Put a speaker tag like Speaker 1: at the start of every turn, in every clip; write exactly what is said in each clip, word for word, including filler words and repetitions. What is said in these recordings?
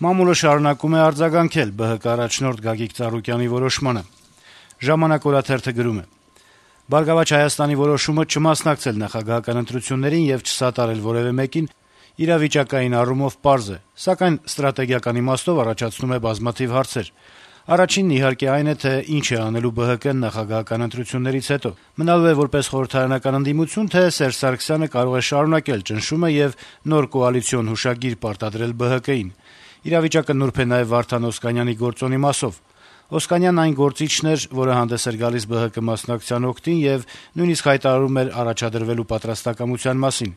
Speaker 1: Մամուլը շարունակում է արձագանքել ԲՀԿ առաջնորդ Գագիկ Ծառուկյանի որոշմանը։ «Ժամանակ» օրաթերթը գրում է. - «Բարգավաճ Հայաստանի որոշումը չմասնակցել նախագահական ընտրություններին եւ չսատարել որեւէ մեկին իրավիճակային առումով պարզ է, սակայն ստրատեգիական իմաստով առաջացնում է բազմաթիվ հարցեր։ Առաջինն իհարկե այն է, թե ինչ է անելու ԲՀԿ-ն նախագահական ընտրություններից հետո։ Մնալու է որպես խորհրդարանական ընդդիմություն, թե Սերժ Սարգսյանը կարող է շարունակել ճնշումը եւ նոր կոալիցիոն հուշագիր պարտադրել ԲՀԿ-ին։ Իրավիճակը նուրբ է նաեւ Վարդան Օսկանյանի գործոնի մասով։ Օսկանյանն այն գործիչն էր, որը հանդես էր գալիս ԲՀԿ մասնակցության օգտին եւ նույնիսկ հայտարարում էր առաջադրվելու պատրաստակամության մասին։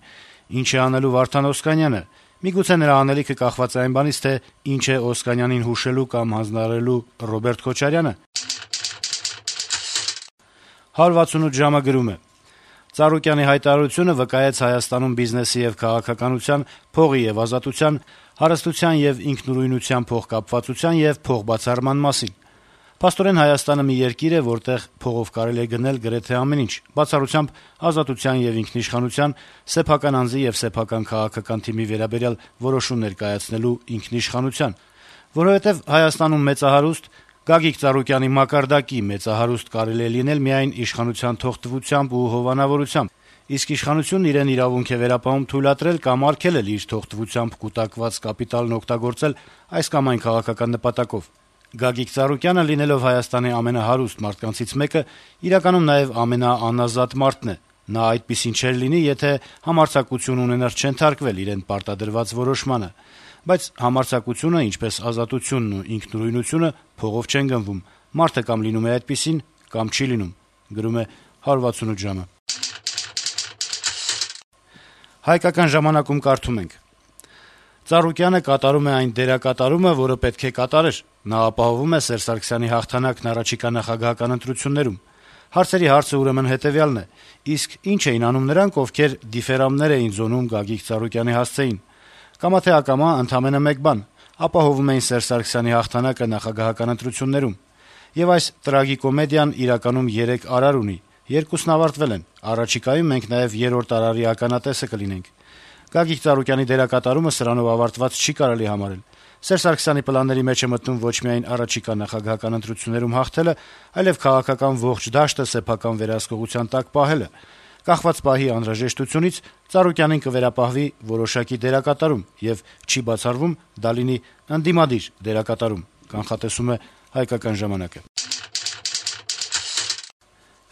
Speaker 1: Ինչ է անելու Վարդան Օսկանյանը։ Միգուցե նրա անելիքը կախված է այն բանից, թե ինչ է Օսկանյանին հուշելու կամ հանձնարարելու Ռոբերտ Քոչարյանը»։ հարյուր վաթսունութ ժամը գրում է. - «Ծառուկյանի հայտարարությունը վկայեց Հայաստանում բիզնեսի եւ քաղաքականության, փողի եւ ազատության, հարստության եւ ինքնուրույնության փոխկապվածության եւ փոխբացառման մասին։ Փաստորեն Հայաստանը մի երկիր է, որտեղ փողով կարելի է գնել գրեթե ամեն ինչ, բացառությամբ ազատության եւ ինքնիշխանության, սեփական անձի եւ սեփական քաղաքական թիմի վերաբերյալ որոշումներ կայացնելու ինքնիշխանության, որովհետեւ Հայաստանում մեծահարուստ, Գագիկ Ծառուկյանի մակարդակի մեծահարուստ կարելի է լինել միայն իշխանության թողտվությամբ ու հովանավորությամբ, իսկ իշխանությունն իրեն իրավունք է վերապահում թույլատրել կամ արգելել իր թողտվությամբ կուտակված կապիտալն օգտագործել այս կամ այն քաղաքական նպատակով։ Գագիկ Ծառուկյանը, լինելով Հայաստանի ամենահարուստ մարդկանցից մեկը, իրականում նաեւ ամենաանազատ մարդն է։ Նա այդպիսին չէր լինի, եթե համարձակություն ունենար չենթարկվել իրեն պարտադրված որոշմանը։ Բայց համարձակությունը, ինչպես ազատությունն ու ինքնուրույնությունը, փողով չեն գնվում։ Մարդը կամ լինում է այդպիսին, կամ չի լինում»։ Գրում է հարյուր վաթսունութ ժամը։ «Հայկական ժամանակ»-ում կարդում ենք. - «Ծառուկյանը կատարում է այն դերակատարումը, որը պետք է կատարեր։ Նա ապահովում է Սերժ Սարգսյանի հաղթանակն առաջիկա նախագահական ընտրություններում։ Հարցերի հարցը ուրեմն հետեւյալն է. իսկ ինչ էին անում նրանք, ովքեր դիֆերամներ էին զոնում Գագիկ Ծառուկյանի հասցեին։ Կամա թե ակամա ընդամենը մեկ բան՝ ապահովում էին Սերժ Սարգսյանի հաղթանակը նախագահական ընտրություններում։ Եվ այս տրագիկոմեդիան իրականում երեք արար ունի։ Երկուսն ավարտվել են։ Առաջիկայում մենք նաեւ երրորդ արարի ականատեսը կլինենք։ Գագիկ Ծառուկյանի դերակատարումը սրանով ավարտված չի կարելի համարել։ Սերժ Սարգսյանի պլանների մեջ է մտնում ոչ միայն առաջիկա նախագահական ընտրություններում հաղթելը, այլև քաղաքական ողջ դաշտը սեփական վերահսկողության տակ պահելը։ Կախված պահի անհրաժեշտությունից Ծառուկյանին կվերապահվի որոշակի դերակատարում եւ չի բացառվում դա լինի ընդդիմադիր դերակատարում, կանխատեսում է «Հայկական ժամանակ»-ը»։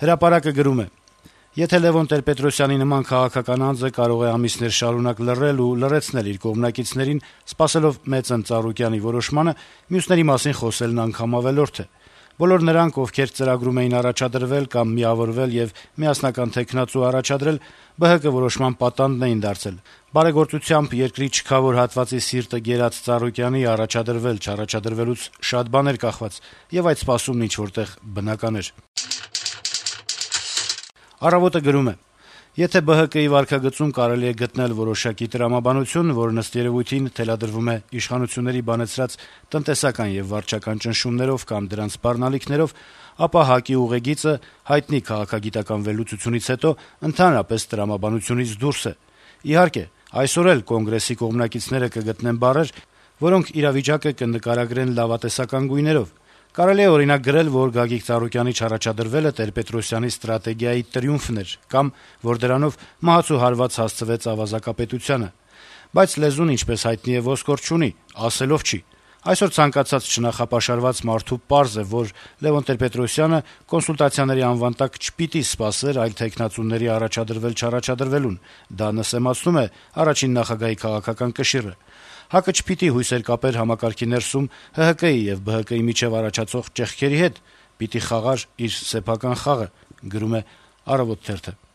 Speaker 1: «Հրապարակ»-ը գրում է. - «Եթե Լեւոն Տեր-Պետրոսյանի նման քաղաքական անձը կարող է ամիսներ շարունակ լռել ու լռեցնել իր կողմնակիցներին, սպասելով մեծն Ծառուկյանի որոշմանը, մյուսների մասին խոսելն անգամ ավելորդ է։ Բոլոր նրանք, ովքեր ծրագրում էին առաջադրվել կամ միավորվել եւ միասնական թեկնածու առաջադրել, ԲՀԿ որոշման պատանդն էին դարձել։ Բարեգործությամբ երկրի չքավոր հատվածի սիրտը գերած Ծառուկյանի առաջադրվել-չառաջադրվելուց շատ բան էր կախված, եւ այդ սպասումն ինչ-որտեղ բնական էր»։ «Առավոտ»-ը գրում է. - «Եթե ԲՀԿ-ի վարքագծում կարելի է գտնել որոշակի տրամաբանություն, որն ըստ երևույթին թելադրվում է իշխանությունների բանեցրած տնտեսական եւ վարչական ճնշումներով կամ դրանց սպառնալիքներով, ապա ՀԱԿ-ի ուղեգիծը հայտնի քաղաքագիտական վերլուծությունից հետո ընդհանրապես տրամաբանությունից դուրս է։ Իհարկե, այսօր էլ Կոնգրեսի կողմնակիցները կգտնեն բառեր, որոնք իրավիճակը կնկարագրեն լավատեսական գույներով։ Կարելի է օրինակ գրել, որ Գագիկ Ծառուկյանի չառաջադրվելը Տեր-Պետրոսյանի ստրատեգիայի տրիումֆն էր, կամ որ դրանով մահացու հարված հասցվեց ավազակապետությանը։ Բայց լեզուն, ինչպես հայտնի է, ոսկոր չունի, ասելով չի։ Այսօր ցանկացած չնախապաշարված մարդու պարզ է, որ Լեւոն Տեր-Պետրոսյանը կոնսուլտացիաների անվան տակ չպիտի սպասեր այլ թեկնածուների առաջադրվել-չառաջադրվելուն։ Դա նսեմացնում է առաջին նախագահի քաղաքական կշիռը։ ՀԱԿ-ը չպիտի հույսեր կապեր համակարգի ներսում ՀՀԿ-ի եւ ԲՀԿ-ի միջեւ առաջացող ճեղքերի հետ, պիտի խաղար իր սեփական խաղը», գրում է «Առավոտ» թերթը։